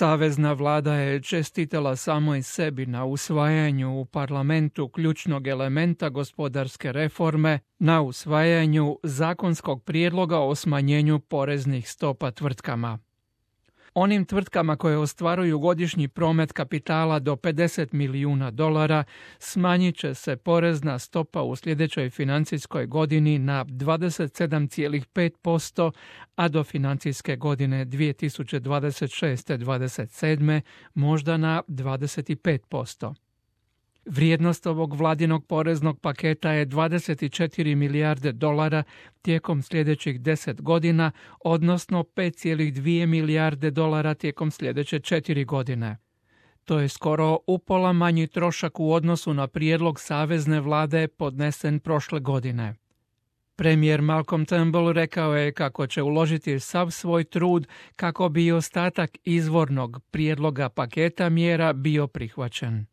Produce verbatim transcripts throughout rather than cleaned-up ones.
Savezna vlada je čestitala samoj sebi na usvajanju u parlamentu ključnog elementa gospodarske reforme, na usvajanju zakonskog prijedloga o smanjenju poreznih stopa tvrtkama. Onim tvrtkama koje ostvaruju godišnji promet kapitala do pedeset milijuna dolara smanjit će se porezna stopa u sljedećoj financijskoj godini na dvadeset sedam zarez pet posto, a do financijske godine dvije tisuće dvadeset šeste dvadeset sedme možda na dvadeset pet posto. Vrijednost ovog vladinog poreznog paketa je dvadeset četiri milijarde dolara tijekom sljedećih deset godina, odnosno pet zarez dvije milijarde dolara tijekom sljedeće četiri godine. To je skoro upola manji trošak u odnosu na prijedlog savezne vlade podnesen prošle godine. Premijer Malcolm Turnbull rekao je kako će uložiti sav svoj trud kako bi i ostatak izvornog prijedloga paketa mjera bio prihvaćen.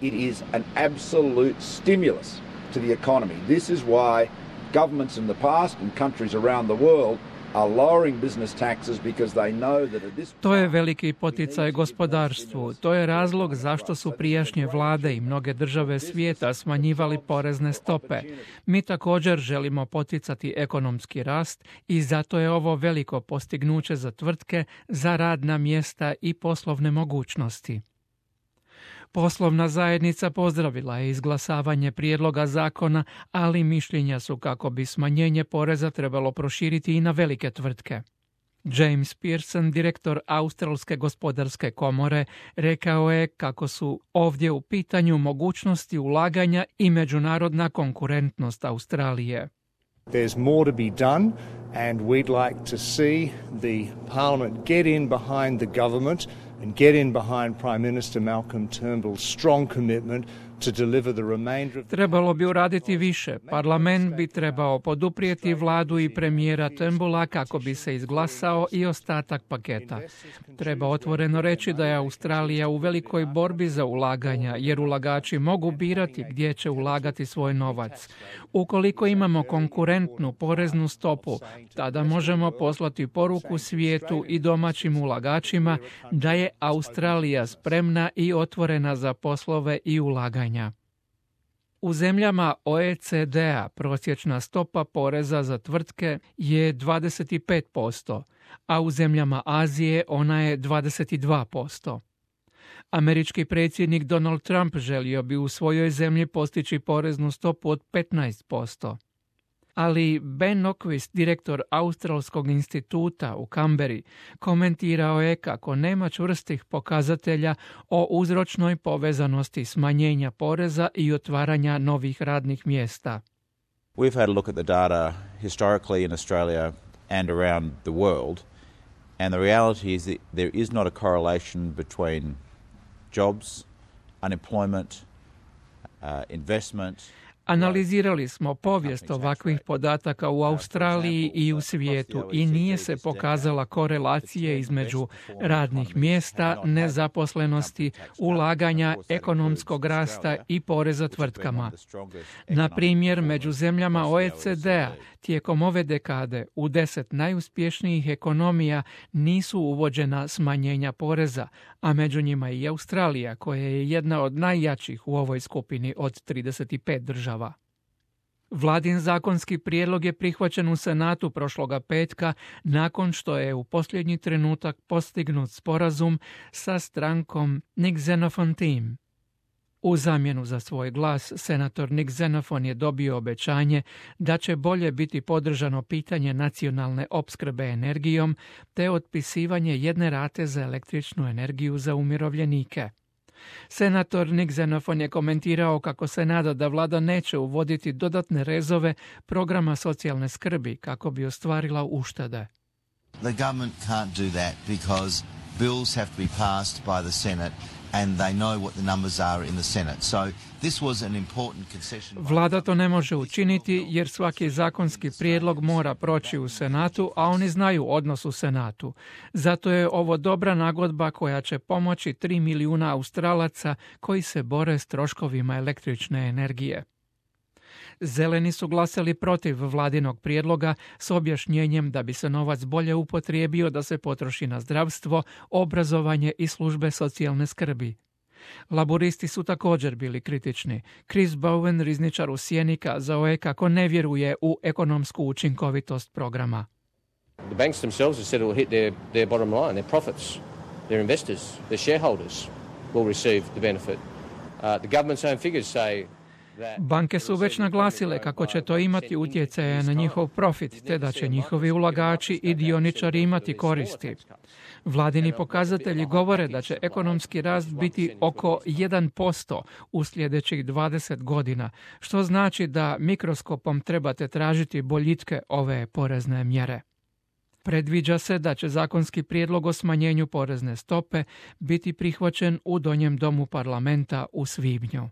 It is an absolute stimulus to the economy. This is why governments in the past and countries around the world are lowering business taxes because they know that at this To je veliki poticaj gospodarstvu. To je razlog zašto su prijašnje vlade i mnoge države svijeta smanjivali porezne stope. Mi također želimo poticati ekonomski rast i zato je ovo veliko postignuće za tvrtke, za radna mjesta i poslovne mogućnosti. Poslovna zajednica pozdravila je izglasavanje prijedloga zakona, ali mišljenja su kako bi smanjenje poreza trebalo proširiti i na velike tvrtke. James Pearson, direktor Australske gospodarske komore, rekao je kako su ovdje u pitanju mogućnosti ulaganja i međunarodna konkurentnost Australije. There's more to be done and we'd like to see the Parliament get in behind the government and get in behind Prime Minister Malcolm Turnbull's strong commitment to deliver the remainder of the... Trebalo bi uraditi više. Parlament bi trebao poduprijeti vladu i premijera Turnbulla kako bi se izglasao i ostatak paketa. Treba otvoreno reći da je Australija u velikoj borbi za ulaganja, jer ulagači mogu birati gdje će ulagati svoj novac. Ukoliko imamo konkurentnu poreznu stopu, tada možemo poslati poruku svijetu i domaćim ulagačima da je Australija spremna i otvorena za poslove i ulaganja. U zemljama O E C D-a prosječna stopa poreza za tvrtke je dvadeset pet posto, a u zemljama Azije ona je dvadeset dva posto. Američki predsjednik Donald Trump želio bi u svojoj zemlji postići poreznu stopu od petnaest posto. Ali Ben Nokvist, direktor Australskog instituta u Kamberi, komentirao je kako nema čvrstih pokazatelja o uzročnoj povezanosti smanjenja poreza i otvaranja novih radnih mjesta. We've had a look at the data historically in Australia and around the world, and the reality is that there is not a correlation between jobs, unemployment, uh, investment. Analizirali smo povijest ovakvih podataka u Australiji i u svijetu i nije se pokazala korelacije između radnih mjesta, nezaposlenosti, ulaganja, ekonomskog rasta i poreza tvrtkama. Na primjer, među zemljama O E C D-a tijekom ove dekade u deset najuspješnijih ekonomija nisu uvođena smanjenja poreza, a među njima i Australija, koja je jedna od najjačih u ovoj skupini od trideset pet država. Vladin zakonski prijedlog je prihvaćen u Senatu prošloga petka nakon što je u posljednji trenutak postignut sporazum sa strankom Nick Xenophon Team. U zamjenu za svoj glas, senator Nick Xenophon je dobio obećanje da će bolje biti podržano pitanje nacionalne opskrbe energijom te otpisivanje jedne rate za električnu energiju za umirovljenike. Senator Nick Xenophon je komentirao kako se nada da vlada neće uvoditi dodatne rezove programa socijalne skrbi kako bi ostvarila uštede. The government can't do that because bills have to be passed by the Senate and they know what the numbers are in the Senate. So this was an important concession. Vlada to ne može učiniti jer svaki zakonski prijedlog mora proći u Senatu, a oni znaju odnos u Senatu. Zato je ovo dobra nagodba koja će pomoći tri milijuna Australaca koji se bore s troškovima električne energije. Zeleni su glasali protiv vladinog prijedloga s objašnjenjem da bi se novac bolje upotrijebio da se potroši na zdravstvo, obrazovanje i službe socijalne skrbi. Laburisti su također bili kritični. Chris Bowen, rizničar u sjeni, kazao je kako ne vjeruje u ekonomsku učinkovitost programa. The banks themselves have said it will hit their, their bottom line, their profits, their investors, their shareholders will receive the benefit. Uh, the government's own figures say Banke su već naglasile kako će to imati utjecaje na njihov profit, te da će njihovi ulagači i dioničari imati koristi. Vladini pokazatelji govore da će ekonomski rast biti oko jedan posto u sljedećih dvadeset godina, što znači da mikroskopom trebate tražiti boljitke ove porezne mjere. Predviđa se da će zakonski prijedlog o smanjenju porezne stope biti prihvaćen u Donjem domu parlamenta u svibnju.